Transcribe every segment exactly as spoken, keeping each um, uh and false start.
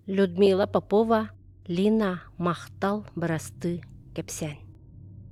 Людмила Попова, Лина Махтал бырастыы кэпсээн.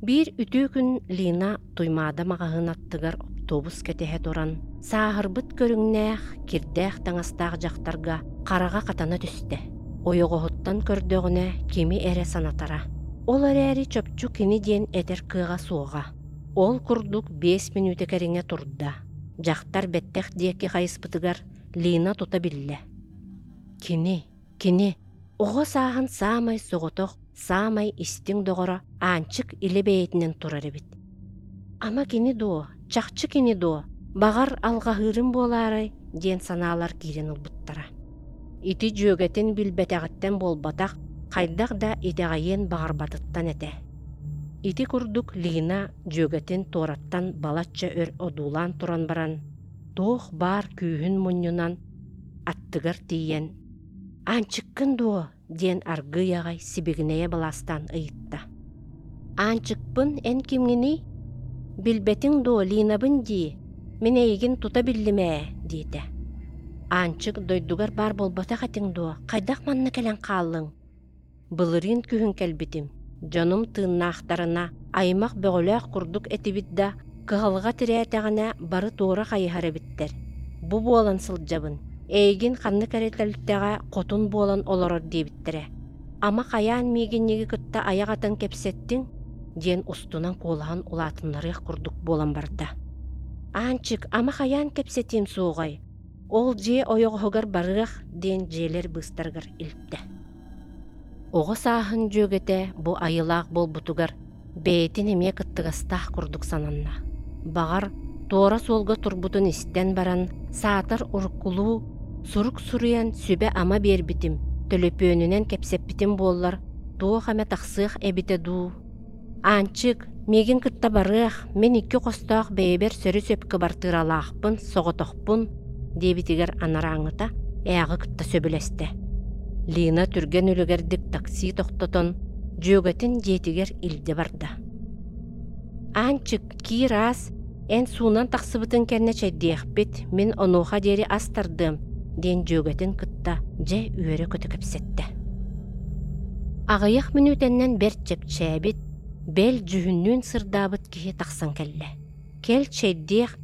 Биир үтүө күн Лина Туймаада маҕаһыын аттыгар оптуобус кэтэһэ туран, сааһырбыт көрүҥнээх, кирдээх таҥастаах дьахтарга хараҕа хатана түстэ. Ойоҕоһуттан көрдөҕүнэ кими эрэ санатара. Ол эрээри чопчу кини диэн этэр кыаҕа суоҕа. Ол курдук биэс мүнүүтэ кэриҥэ турда. Дьахтар бэттэх диэки хайыспытыгар Лина тута биллэ. Кини, кини оҕо сааһын саамай соҕотох, саамай истиҥ доҕоро Аанчык илэ бэйэтинэн турар эбит. Ама кини дуо, чахчы кини дуо, баҕар алҕаһыырым буолаарай диэн санаалар киирэн ылбыттара. Ити дьүөгэтин билбэтэҕиттэн буолбатах, хайдах да итэҕэйиэн баҕарбатыттан этэ. Ити курдук Лина дьүөгэтин туораттан балачча өр одуулаан туран баран, туох баар күүһүн мунньунан аттыгар тиийэн «Аанчыккын дуо?» диэн аргыый аҕай сибигинэйэ былаастаан ыйытта. «Аанчыкпын эн кимҥиний? Билбэтиҥ дуо, Линабын дии, мин эйигин тута биллим ээ» диэтэ. «Аанчык, дойдугар баар буолбатах этиҥ дуо, хайдах манна кэлэн хааллыҥ?» Былырыын күһүн кэлбитим, дьонум тыыннаахтарына аймах бөҕөлөөх курдук этибит да, кыһалҕа тирээтэҕинэ бары туора хайыһар эбиттэр. Бу буолан сылдьабын, эйигин ханнык эрэ тэрилтэҕэ хотун буолан олорор диэбиттэрэ. Ама хайаан миигинньиги кытта айах атан кэпсэттиҥ? диэн устунан куолаһын улаатыннарыах курдук буолан барда. Аанчык, ама хайаан кэпсэтиэм суоҕай? Ол дьиэ ойоҕоһугар барыах диэн дьиэлэр быыстарыгар илтэ. Оҕо сааһын дьүөгэтэ бу айылаах буолбутугар бэйэтин эмиэ кыттыгастаах курдук сананна. Баҕар, туора суолга турбутун истэн баран, саатар уруккулуу сурук суруйан сүбэ-ама биэрбитим, төлөпүөнүнэн кэпсэппитим буоллар, туох эмэ тахсыах эбитэ дуу. Аанчык, миигин кытта барыах, мин икки хостоох бэйэбэр сөрү-сөп кыбартыыралаахпын, соҕотохпун, диэбитигэр анарааҥҥыта ээҕи кытта сөбүлэстэ. Лина түргэн үлүгэрдик такси тохтотон, дьүөгэтин дьиэтигэр илдьэ барда. Аанчык, киир аас, эн суунан тахсыбытыҥ кэннэ чэйдиэхпит, мин онуоха диэри ас тардыам, диэн дьүөгэтин кытта дьэ үөрэ-көтө кэпсэттэ. Аҕыйах мүнүүтэннэн бэрт чэпчээбит, бэл дьүһүннүүн сырдаабыт киһи тахсан кэллэ. Кэл чэйдиэх,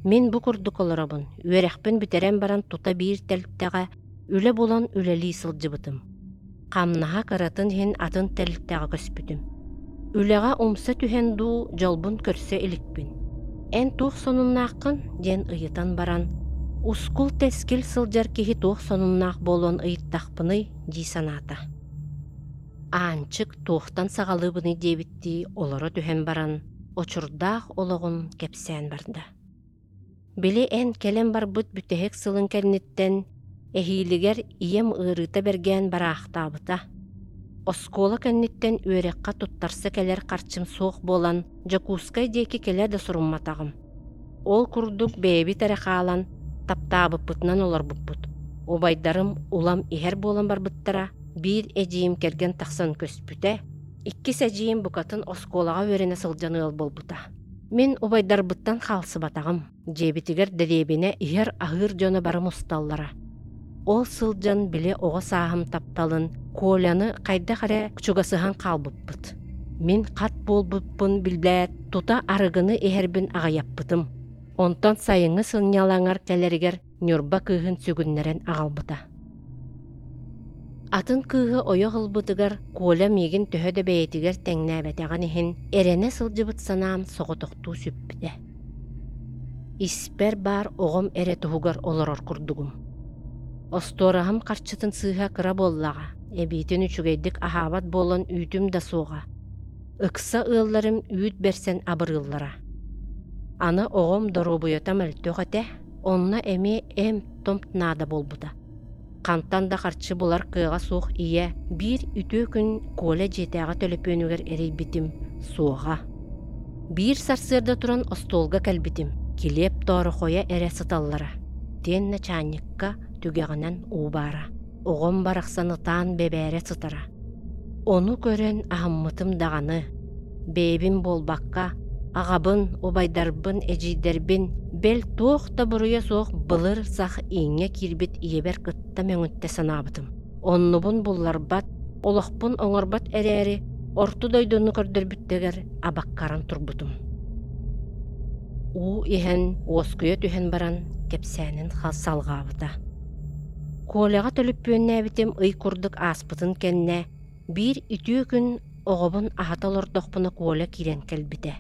мин бу курдук олоробун, үөрэхпин бүтэрэн баран тута биир тэрилтэҕэ үлэ булан үлэлии сылдьыбытым. Хамнаһа кыратын иһин атын тэрилтэҕэ көспүтүм. Үлэҕэ умса түһэн дуу, дьолбун көрсө иликпин. Эн туох сонуннааххын? диэн ыйытан баран, ускул-тэскил сылдьар киһи туох сонуннаах буолуон ыйыттахпыный дии санаата. Аанчык туохтан саҕалыыбыный диэбиттии олоро түһэн баран, очурдаах олоҕун кэпсээн барда. Били эн кэлэн барбыт бүтэһик сылын кэнниттэн эһиилигэр ийэм ыарыыта бэргээн бараахтаабыта. Оскуола кэнниттэн үөрэххэ туттарса кэлэр харчым суох буолан, Дьокуускай диэки кэлэ да сурумматаҕым. Ол курдук бэйэбит эрэ хаалан, таптаабыппытынан олорбуппут. Убайдарым улам иһэр буолан барбыттара, биир эдьиийим кэргэн тахсан көспүтэ, иккис эдьиийим букатын оскуолаҕа үөрэнэ сылдьан ыал буолбута. Мин убайдарбыттан хаалсыбатаҕым, дьиэбитигэр дэриэбинэ иһэр-аһыыр дьоно бары мусталлара. Ол сылдьан били оҕо сааһым тапталын Коляны хайдах эрэ чугасыһан хаалбыппыт. Мин хат буолбуппун билбээт, тута арыгыны иһэрбин аҕыйаппытым. Онтон сайыҥҥы сынньалаҥар кэлэригэр Ньурба кыыһын сүгүннэрэн аҕалбыта. Атын кыыһы ойох ылбытыгар Коля миигин төһө да бэйэтигэр тэҥнээбэтэҕин иһин, эрэнэ сылдьыбыт санаам соҕотохтуу сүппүтэ. Испэр баар оҕом эрэ туһугар олорор курдугум. Остуораһым харчытын сыыһа кыра буоллаҕа, эбиитин үчүгэйдик аһаабат буолан үүтүм да суоҕа. Ыкса ыалларым үүт бэрсэн абырыыллара. Аны оҕом доруобуйата мөлтөх этэ, онно эмиэ эмп-томп наада буолбута. Хантан да харчы булар кыаҕа суох ийэ биир үтүө күн Коля дьиэтээҕи төлөпүөнүгэр эрийбитим, суоҕа. Биир сарсыарда туран остуолга кэлбитим, килиэп тоорохойо эрэ сыталлара. Итиэннэ чаанньыкка түгэҕинэн уу баара. Оҕом барахсан ытаан бэбээрэ сытара. Ону көрөн аһыммытым даҕаны. Бэйэбин буолбакка, аҕабын, убайдарбын, эдьиийдэрбин, бэл туох да буруйа суох былыр сах ииҥҥэ киирбит ийэбэр кытта мөҥүттэ санаабытым. Оннубун булларбат, олохпун оҥорбот эрээри, орто дойдуну көрдөрбүттэригэр абаккаран турбутум. Уу иһэн, уоскуйа түһэн баран, кэпсээнин салҕаабыта. Коляҕа төлөппүөннээбитим ый курдук ааспытын кэннэ, биир үтүө күн оҕобун аһата олордохпуна Коля киирэн кэлбитэ.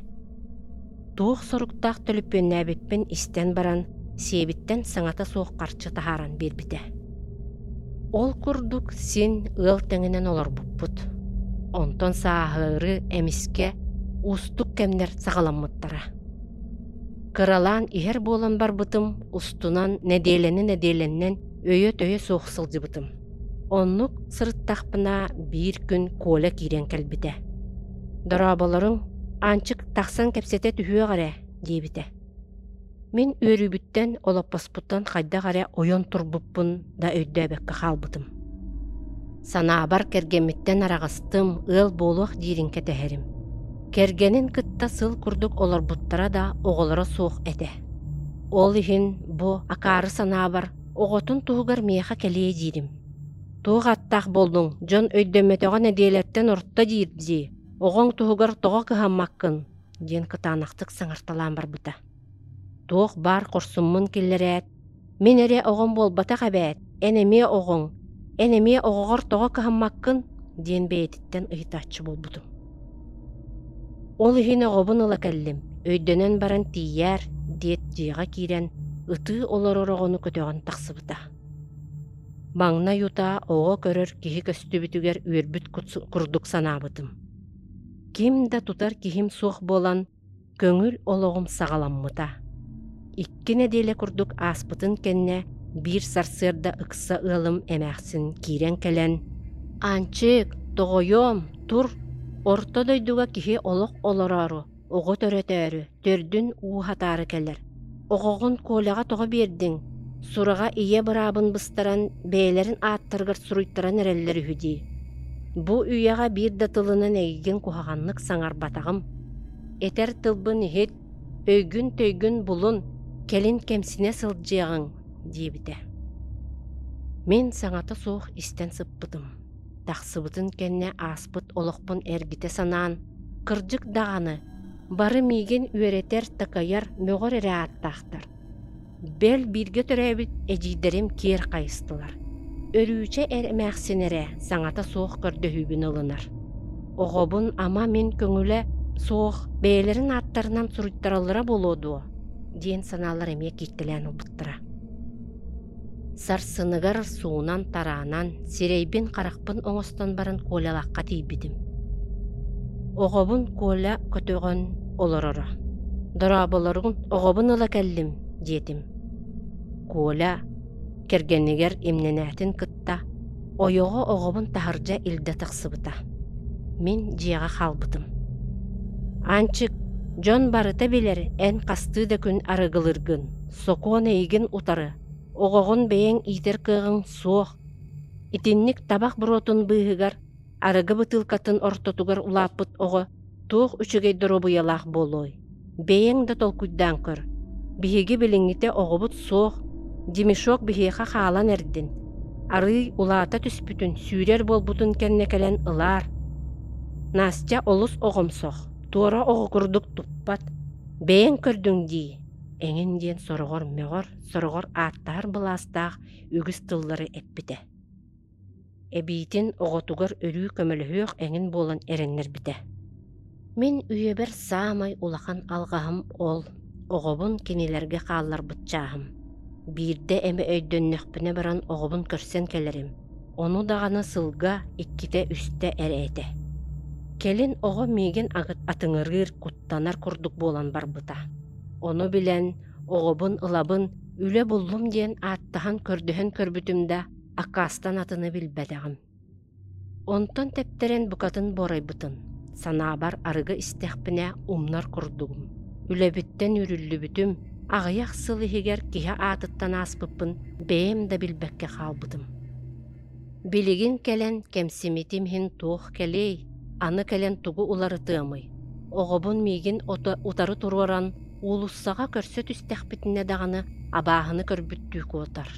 Туох соруктаах төлөппүөннээбиппин истэн баран, сиэбиттэн саҥата суох харчы таһааран биэрбитэ. Ол курдук син ыал тэҥинэн олорбуппут. Онтон сааһыары эмискэ уустук кэмнэр саҕаламмыттара. Кыралаан иһэр буолан барбытым, устунан нэдиэлэни нэдиэлэннэн өйө-төйө суох сылдьыбытым. Оннук сырыттахпына биир күн Коля киирэн кэлбитэ. «Дорооболоруҥ, Аанчык тахсан кэпсэтэ түһүөх эрэ» диэбитэ. Мин үөрүүбүттэн, олоппоспуттан хайдах эрэ ойон турбуппун да өйдөөбөккө хаалбытым. Санаабар кэргэммиттэн араҕастым, ыал буолуох диирин кэтэһэрим. Кэргэнин кытта сыл курдук олорбуттара да оҕолоро суох этэ. Ол иһин бу акаары санаабар оҕотун туһугар миэхэ кэлиэ диирим. Туох аттаах буоллуҥ, дьон өйдөммөтөҕө нэдиэлэттэн орто диир дии, оҕоҥ туһугар тоҕо кыһаммаккын диэн кытаанахтык саҥарталаан барбыта. Туох баар хорсуммун киллэрээт, мин эрэ оҕом буолбатах эбээт, эн эмиэ оҕоҥ, эн эмиэ оҕоҕор тоҕо кыһаммаккын диэн бэйэтиттэн ыйытааччы буолбутум. Ол иһин оҕобун ыла кэллим, өйдөнөн баран тиийээр диэт дьиэҕэ киирэн ытыы олорор оҕону көтөҕөн тахсыбыта. Маҥнай утаа оҕо көрөр киһи көстүбүтүгэр үөрбүт курдук санаабытым. Ким да тутар киһим суох буолан, көҥүл олоҕум саҕаламмыта. Икки нэдиэлэ курдук ааспытын кэннэ биир сарсыарда ыкса ыалым эмээхсин киирэн кэлэн «Аанчык, тоҕойуом, тур, орто дойдуга киһи олох олороору, оҕо төрөтөөрү, төрдүн ууһатаары кэлэр. Оҕоҕун Коляҕа тоҕо биэрдиҥ? Сураҕа ийэ быраабын быстаран, бэйэлэрин ааттарыгар суруйтаран эрэллэр үһү дии. Бу үйэҕэ биир да тылынан эйигин куһаҕаннык саҥарбатаҕым. Этэр тылбын иһит, өйгүн-төйгүн булун, кэлин кэмсинэ сылдьыаҕыҥ» диэбитэ. Мин саҥата суох истэн сыппытым. Тахсыбытын кэннэ ааспыт олохпун эргитэ санаан, кырдьык даҕаны, бары миигин үөрэтэр, такайар, мөҕөр эрэ ааттаахтар. Бэл бииргэ төрөөбүт эдьиийдэрим киэр хайыстылар. Өрүүчэ эр эмээхсин эрэ саҥата суох көрдөһүүбүн ылынар. Оҕобун ама мин көҥүлэ суох бэйэлэрин ааттарынан суруйтараллара буолуо дуо диэн санаалар эмиэ кииртэлээн ылбыттара. Сарсыныгар суунан-тараанан, сирэйбин-харахпын оҥостон баран Колялаахха тиийбитим. Оҕобун Коля көтөҕөн олороро. «Дорооболоруҥ, оҕобун ыла кэллим» диэтим. Коля кэргэнигэр имнэнээтин кытта ойоҕо оҕобун таһырдьа илдьэ тахсыбыта. Мин дьиэҕэ хаалбытым. «Аанчык, дьон барыта билэр эн хастыы да күн арыгылыыргын, сокуон эйигин утары, оҕоҕун бэйэҥ иитэр кыаҕыҥ суох. Итинник табах буруотун быыһыгар, арыгы бытыылкатын ортотугар улааппыт оҕо туох үчүгэй доруобуйалаах буолуой? Бэйэҥ да толкуйдаан көр. Биһиги билиҥҥитэ оҕобут суох, Димишок биһиэхэ хаалан эрдин. Арыый улаата түспүтүн, сүүрэр буолбутун кэннэ кэлэн ылаар. Настя олус оҕомсох, туора оҕо курдук туппат. Бэйэҥ көрдүҥ дии» эҥин диэн сороҕор мөҕөр, сороҕор ааттаһар былаастаах үгүс тыллары эппитэ. Эбиитин оҕотугар өрүү көмөлөһүөх эҥин буолан эрэннэрбитэ. Мин үйэбэр саамай улахан алҕаһым ол, оҕобун кинилэргэ хаалларбыт чааһым. Биирдэ эмэ өйдөннөхпүнэ баран оҕобун көрсөн кэлэрим, ону даҕаны сылга иккитэ-үстэ эрэ этэ. Кэлин оҕо миигин атыҥырыыр, куттанар курдук буолан барбыта. Ону билэн, оҕобун ылабын, үлэ буллум диэн ааттаһан көрдөһөн көрбүтүм да, аккаастан атыны билбэтэҕим. Онтон тэптэрэн букатын буорайбытым. Санаабар арыгы истэхпинэ умнар курдугум. Үлэбиттэн үүрүллүбүтүм, аҕыйах сыл иһигэр киһи аатыттан ааспыппын бэйэм да билбэккэ хаалбытым. Билигин кэлэн кэмсимитим иһин туох кэлиэй, аны кэлэн тугу уларытыамый? Оҕобун миигин утары туруоран уулуссаҕа көрсө түстэхпитинэ даҕаны абааһыны көрбүттүү куотар.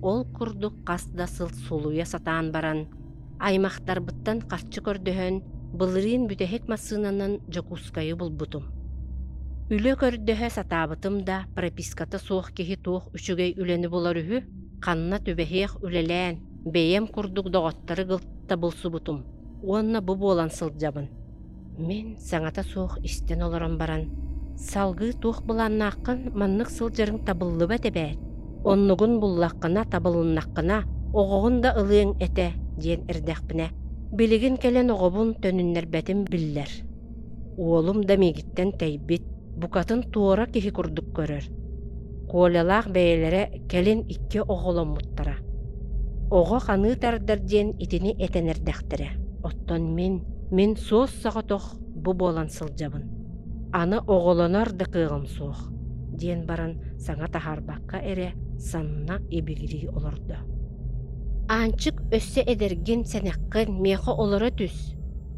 Ол курдук хас да сыл сулуйа сатаан баран, аймахтарбыттан харчы көрдөһөн, былырыын бүтэһик массыынанан Дьокуускайы булбутум. Үлэ көрдөһө сатаабытым да, прописката суох киһи туох үчүгэй үлэни булар үһү, ханна түбэһиэх үлэлээн, бэйэм курдук доҕоттору кытта булсубутум уонна бу буолан сылдьабын. Мин саҥата суох истэн олорон баран, салгыы туох былааннааххын, маннык сылдьарыҥ табыллыбат эбээт, оннугун буллаххына, табылыннаххына, оҕоҕун да ылыаҥ этэ диэн эрдэхпинэ, билигин кэлэн оҕобун төнүннэрбэтим биллэр. Уолум да миигиттэн тэйбит, букатын туора киһи курдук көрөр. Колялаах бэйэлэрэ кэлин икки оҕоломмуттара. Оҕо ханыы тардар диэн итини этэн эрдэхтэрэ. Оттон мин, мин суос соҕотох бу буолан сылдьабын. Аны оҕолонор да кыаҕым суох, диэн баран саҥа таһаарбакка эрэ санна ибигирии олордо. Аанчык өссө эдэргин, сэнэххин, миэхэ олоро түс.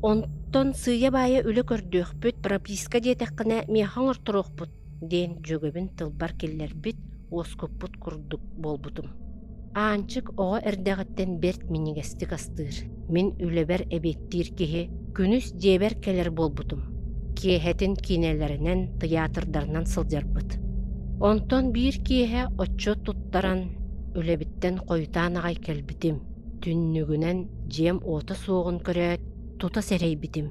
Онтон сыыйа-баайа үлэ көрдүөхпүт, прописка диэтэххинэ миэхэ оҥорторуохпут, диэн дьүөгэбин тылбар киллэрбит, уоскуппут курдук буолбутум. Аанчык оҕо эрдэҕиттэн бэрт минньигэстик астыыр. Мин үлэбэр эбиэттиир киһи күнүс дьиэбэр кэлэр буолбутум. Киэһэтин киинэлэринэн, тыйаатырдарынан сылдьарбыт. Онтон биир киэһэ отчуот туттаран, үлэбиттэн хойутаан аҕай кэлбитим. Түннүгүнэн дьиэм уота суоҕун көрөөт, тута сэрэйбитим.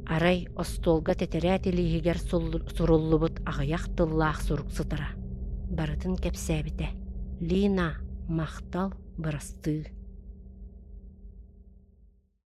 Арай остуолга тэтэрээт илииһигэр суруллубут аҕыйах тыллаах сурук сытара. Барытын кэпсээбитэ. Лина, махтал, бырастыы.